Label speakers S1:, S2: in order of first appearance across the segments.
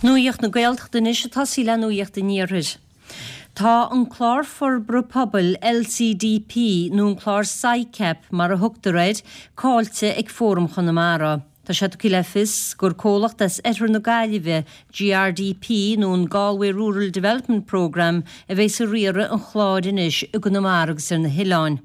S1: Nuacht na Gaeltachta anois ag tosaí le Nuacht an Iarthair. Tá an Clár Forbartha Pobail, LCDP, nó an Clár SICAP mar a thugtar air, caillte ag Fóram Chonamara. Tá sé tugtha le fios gur comhlacht as oirthear na Gaillimhe, GRDP nó an Galway Rural Development Programme, a bheas ag riaradh an chláir anois i gConamara agus ar na hoileáin.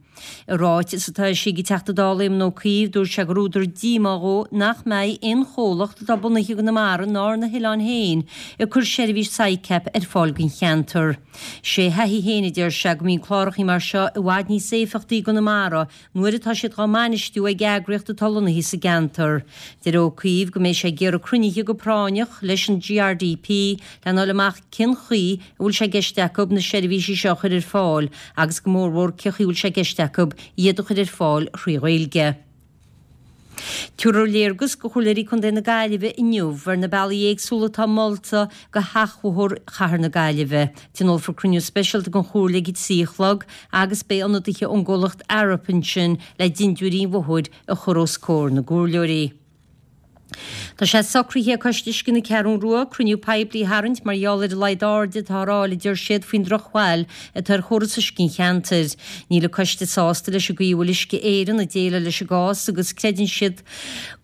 S1: I ráiteas atá eisithe ag an Teachta Dála Éamon Ó Cuív, dúirt sé gur údar díomá dhó nach mbeidh aon chomhlacht atá bunaithe i gConamara ná ar na hoileáin féin ag cur seirbhís SICAP ar fáil don cheantar. Sé a thaithí féin, a deir sé, go mbíonn clárachaí mar seo i bhfad níos éifeachtaí i gConamara nuair atá siad dhá mbainistiú ag eagraíocht atá lonnaithe sa gceantar. Deir Ó Cuív go mbeidh sé ag iarraidh cruinnithe go práinneach leis an GRDP lena fháil amach cén chaoi a bhfuil sé i gceist acu na seirbhísí seo a chur ar fáil agus go mórmhór cén chaoi a bhfuil sé i gceist acu iad a chur ar fáil thrí Ghaeilge. Tabharfar léargas do Chomhairleoirí Contae na Gaillimhe inniu ar na bealaí éagsúla atá molta do sheachbhóthar Chathair na Gaillimhe. Tionólfar cruinniú speisialta den Chomhairle ag a 3 a chlog agus beidh ionadaithe ón gcomhlacht Arup ansin le dintiúirí an bhóthair a chur os comhair na gcomhairleoirí. Tá sé socraithe ag Coiste Uisce na Ceathrún Rua cruinniú poiblí a tharraingt mar gheall ar an laghad airde atá á fháil, a deir siad, faoin drochbhail atá ar chóras uisce an cheantair. Níl an coiste sásta leis an gcaoi a bhfuil Uisce Éireann ag déileáil leis an gcás agus creideann siad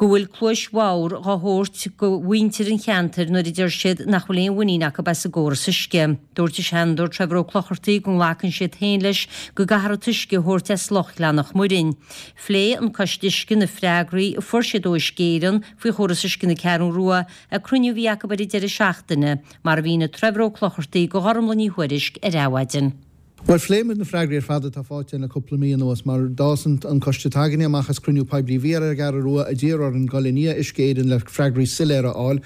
S1: go bhfuil cluais bhodhar dhá thabhairt do mhuintir an cheantair nuair a deir siad nach bhfuil aon mhuinín acu as an gcóras uisce. Dúirt an Seanadóir Trevor Ó Clochartaigh go nglacann siad féin leis go gcaithfear an t-uisce a thabhairt as Loch Ghleann Mhuirinn. Phléigh an Coiste Uisce na freagraí a fuair siad ó Uisce Éireann faoi chóras uisce na Ceathrún Rua ag cruinniú a bhí acu ar an deireadh seachtaine, mar a mhínigh Trevor Ó Clochartaigh do Ghormlaith Ní Thuairisg ar Adhmhaidin.
S2: Bhuel, phléigh muid na freagraí ar fad atá faighte againn le cúpla mí anuas, mar d'fhás an coiste atá againne amach as cruinniú poiblí a bhí ar an gCeathrú Rua a d'iarr orainn dul i ndiaidh Uisce Éireann le freagraí soiléire a fháil.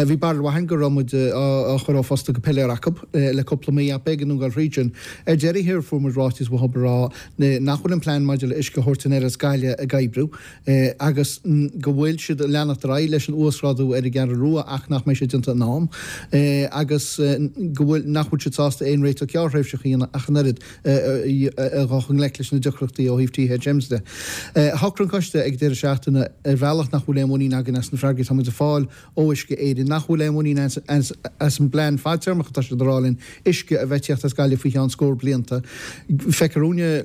S2: Bhí barúil mhaith againn go raibh muid á chur ó phosta go piléar acu le cúpla mí ach b'éigean dúinn dul thríd sin. Ar deireadh thiar fuair muid ráiteas uathu ag rá nach bhfuil an plean maidir le uisce a thabhairt anoir as Gaillimh ag oibriú agus go bhfuil siad ag leanacht ar aghaidh leis an uasghrádú ar an gCeathrú Rua ach nach mbeidh sé déanta in am agus go bhfuil nach bhfuil siad sásta aon réiteach gearrthréimhseach a dhéanamh ach an oiread a dhul i ngleic leis na deacrachtaí ó thaobh THMs de. Shocraigh an coiste ag deireadh seachtaine ar bhealach nach bhfuil aon mhuinín againn as na freagraí atá muid ag fáil ó Uisce Éireann, nach bhfuil aon mhuinín as an bplean fadtéarmach atá siad a rá linn, uisce a bheith ag tíocht as Gaillimh faoi cheann scór blianta. Feictear dúinne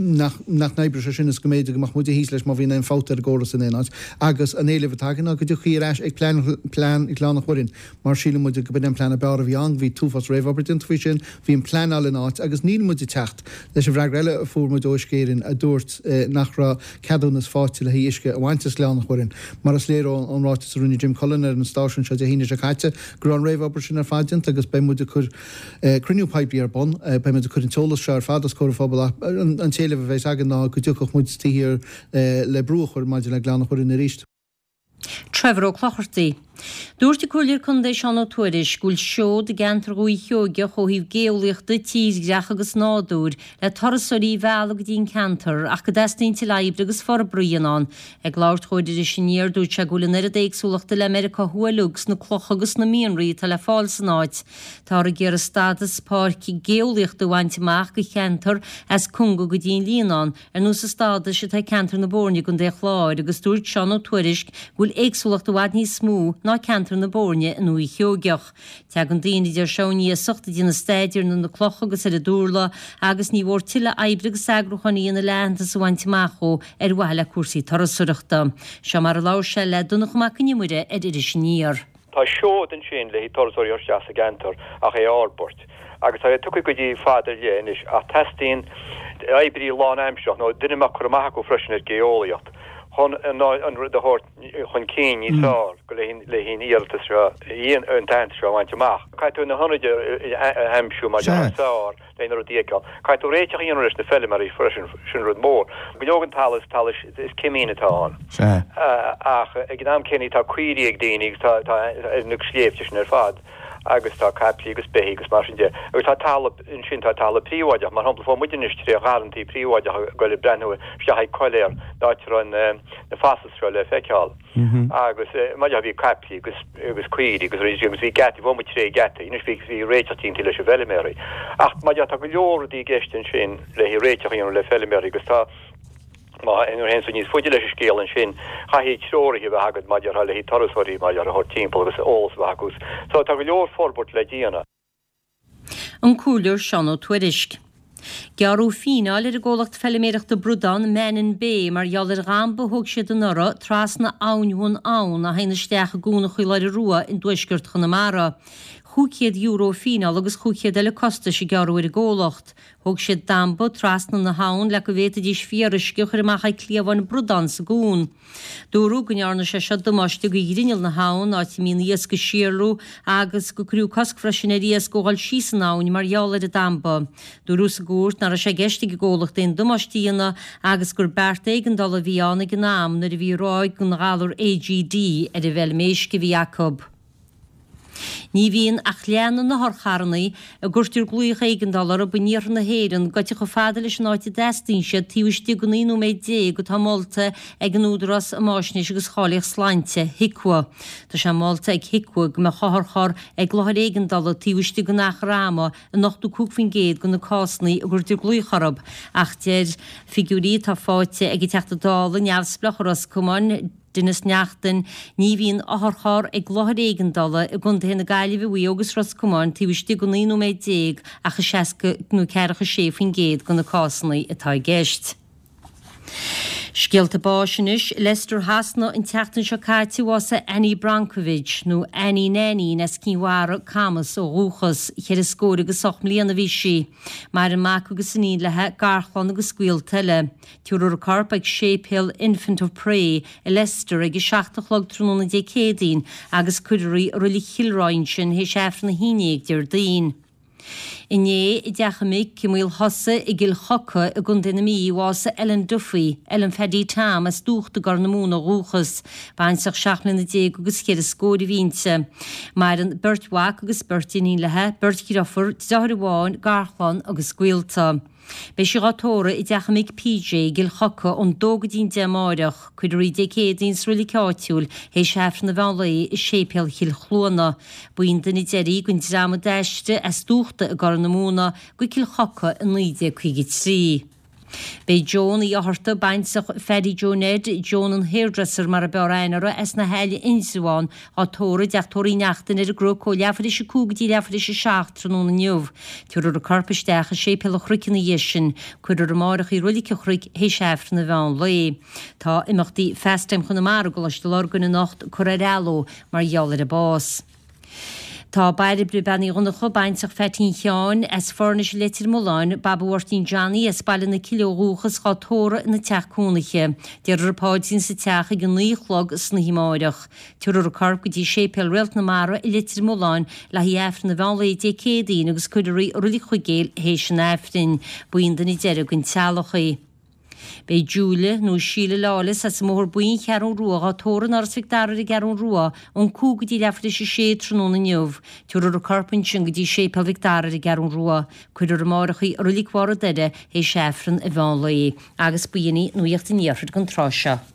S2: nach n-oibreoidh sé sin is go mb'fhéidir go mbeadh muide thíos leis má bhíonn aon fabht ar an gcóras in aon áit. Agus an éileamh atá againn ná go dtiocfaí ar ais ag plean plean Ghleann an Mhuirinn mar síleann muide go b'in an plean ab fhearr a bhí ann. Bhí t-uafás réamhobair déanta faoi sin, bhí an pleanáil in áit agus níl muid ag teacht leis an bhfreagra eile a fuair muid ó Uisce Éireann a dúirt nach raibh ceadúnas faighte le haghaidh uisce a bhaint as Gleann an Mhuirinn, mar is léir ón ráiteas a rinne Jim Cullen ar an stáisiún seo Dé hAoine seo caite go raibh an réamhobair sin ar fad déanta agus beidh muid ag cur cruinniú poiblí ar bun, beidh muid ag cur an t-eolas seo ar fad os comhair an phobail ach an t-éileamh a bheas againn ná go dtiocfadh muid taobh thiar le brú a chur maidir le Gleann an Mhuirinn arís.
S1: Trevor Ó Clochartaigh. Dúirt an Comhairleoir Contae Seán Ó Tuairisg go bhfuil seod i gceantar Dhúiche Sheoigeach ó thaobh géolaíochta, tírdhreach agus nádúir le turasóirí a mhealladh go dtí an ceantar ach go dteastaíonn tuilleadh oibre agus forbartha a dhéanamh ann. Ag labhairt dhó ar Iris Aniar dúirt sé go bhfuil an oiread éagsúlachta le Meiriceá Thuaidh uilig sna clocha agus sna mianraí atá le fáil san áit. Táthar ag iarraidh stádas páirc géolaíochta a bhaint amach do cheantar as Conga go dtí an Líonán Ar nós an stádais atá ag ceantar na Boirne i gContae an Chláir agus dúirt Seán Ó Tuairisg go bhfuil éagsúlacht i bhfad níos mó ná ceantar na Boirne i nDúiche Sheoigeach. Tagann daoine, a deir sé, ón iasacht ag déanamh staidéir ar na clocha agus ar an dturlaigh agus ní mhór tuilleadh oibre agus eagrúcháin a dhéanamh le aitheantas a bhaint amach dhó ar mhaithe le cúrsaí turasóireachta. Seo mar a labhair sé le Donncha Mac Con Iomaire ar Iris Aniar.
S3: Tá seod ansin le haghaidh turasóirí a thabhairt isteach sa gceantar ach é a fhorbairt agus tá sé tugtha go dtí fad ar leith anois ach teastaíonn oibrí lánaimsearach nó duine a mbeadh cur amach acu freisin ar geolaíocht chun an rud a thabhairt chun cinn níos fearr go le haghaidh an iarratas seo, an t-aitheantas seo a bhaint amach. Caithfidh tú na hionaid a aimsiú mar is fearr. le na rudaí a fheiceáil. Caithfidh tú réiteach a dhéanamh leis na feilméaraí freisin, sin rud mór. Go leor den talamh is talamh is cimín atá ann. Ach ag an am céanna tá caoirigh ag daoine agus tá tá ar na sléibhte sin ar fad agus tá caiplí agus beithígh agus mar sin de. Agus tá talamh ansin tá talamh príobháideach, mar shampla fuair muid anois tré gharrantaí príobháideacha ag goil ag breathnú isteach ag coiléar áit a raibh na fossils seo le feiceáil. Agus mar dhea bhí caiplí agus agus caoirigh agus rudaí agus bhí geataí, bhí muid tré gheataí, anois bhí bhí réiteach déanta leis an bhfeilméaraí. Ach mar dhea tá go leor rudaí i gceist ansin le haghaidh réiteach a dhéanamh le feilméaraí agus tá. Má théann tú níos faide leis an scéal ansin, caithfidh treoraithe a bheith agat mar a déarfá le haghaidh turasóirí mar a déarfá a thabhairt timpeall agus eolas a bheith acu. So tá go leor forbairt le déanamh.
S1: An Comhairleoir Seán Ó Tuairisg. Gearradh fíneáil ar an gcomhlacht feiliméireachta bradán Mannin Bay mar gheall ar dhamba a thóg siad anuraidh trasna Abhainn Bhun Abhann a théann isteach i gCuan an Chaoláire Rua in dtuaisceart Chonamara. €500 fíneála agus 500 eile costais a gearradh ar an gcomhlacht. Thóg siad damba trasna na habhann le go bhféadfaidís fíoruisce a chur amach ag cliabháin bradán sa gcuan. Dúradh go ndearna sé seo damáiste go ghrinneall na habhann, áit a mbíonn iasc ag síolrú, agus go cuireadh cosc freisin ar iasc ó dhul síos an abhainn mar gheall ar an damba. Dúradh sa gcúirt nach raibh sé i gceist ag an gcomhlacht aon damáiste a dhéanamh agus gur beart éigeandála a bhí ann ag an am nuair a bhí ráig den ghalar AGD ar an bhfeilm éisc a bhí acu. Ní bhíonn ach leath na n-otharcharranna a gcuirtear glaoch éigeandála orthu in iarthar na hÉireann gaibhte chomh fada leis an áit a dteastaíonn siad taobh istigh den 19 nóiméad atá molta ag an Údarás um Fháisnéis agus Cháilíocht Sláinte, HIQA. Tá sé molta ag HIQA go mbeadh otharcharr ag láthair éigeandála taobh istigh den achar ama in 85% de na cásanna a gcuirtear glaoch orthu ach deir figiúirí atá faighte ag an Teachta Dála neamhspleách ó Ros Comáin, Denis Naughten, Ní bhíonn otharcharr ag láthair éigeandála i gcontaetha na Gaillimhe, Mhaigh Eo agus Ros Comáin taobh istigh de 19 nóiméad ach i 60 nó 46% de na cásanna atá i gceist. Scéalta báis anois. I Leicester Shasana an tseachtain seo caite bhásaigh Annie Bronkovich, nó Annie Nainín as Cinn Mhara, Camas, ó dhúchas. Cheithre scór agus 8 mbliana a bhí sí. Maireann mac agus iníon léi, garchlann agus gaolta eile. Tabharfar a corp ag Séipéal Infant of Pray i Leicester ag a 7 a chlog tráthnóna Dé Céadaoin agus cuirfear í i Reilig Chill Rua ansin théis Aifreann a haon déag Déardaoin. Inné, i dteach a mic i Maol Chosa i gCill Choca i gContae na Mí, bhásaigh Ellen Duffy, Ellen Phaddy Tom, as Dúcht i gCorr na Móna ó dhúchas. Baintreach seacht mbliana déag agus cheithre scór a bhí inti. Maireann beirt mhac agus beirt iníon léi, beirt dhriofar, driotháir amháin, garchlann agus gaolta. Beidh sí dhá tórramh i dteach a mic PJ i gCill Choca ón dó go dtí'n 10 amáireach. Cuirfear í Dé Céadaoin sa roilig áitiúil théis Aifreann an mheán lae i Séipéal Chill Chluana. Ba í an duine deiridh den dream a d'aistrigh as Dúchta i gCorr na Móna go Cill Choca i 1953. Beidh Joan Uí Fhátharta, baintreach Phaddy Joe Ned, Joan an Hairdresser mar a b'fhearr aithne uirthi, as na hAille Indreabhán, Dhá tórramh i dteach tórraimh Uí Neachtain ar an gCnoc ó leathuair théis a 5 go dtí leathuair théis a 7 tráthnóna inniu. Tabharfar a corp isteach i Séipéal an Chnoic ina dhiaidh sin. Cuirfear amáireach í i Roilig an Chnoic théis Aifreann an mheán lae. Tá imeachtaí Fastime Chonamara i gColáiste Lurgan anocht curtha ar athló mar gheall ar an bás. Tá Bairbre Bean Uí Dhonncha, baintreach Pheaitín Sheáin, as Foirnis i Leitir Mealláin, Baba Mháirtín Johnny as Baile na Cille ó dhúchas, dhá tórramh ina teach cónaithe. Déarfar an paidrín sa teach ag a 9 a chlog san oíche amáireach. Tabharfar a corp go dtí Séipéal Réalt na Mara i Leitir Mealláin le haghaidh Aifreann an mheán lae Dé Céadaoin agus cuirfear í i Roilig Chuigéil théis an Aifrinn. Ba í an duine deiridh den teaghlach í. Beidh Julia, nó Síle Lawless, as an mBóthar Buí, An Cheathrú Rua, dhá tórramh in Áras Mhic Dara ar an gCeathrú Rua ón 5 go dtí leathuair théis a sé tráthnóna inniu. Tabharfar a corp ansin go dtí Séipéal Mhic Dara ar an gCeathrú Rua. Cuirfear amáireach í i Roilig Bharr an Doire théis Aifreann an mheán lae. Agus b'in í Nuacht an Iarthair don tráth seo.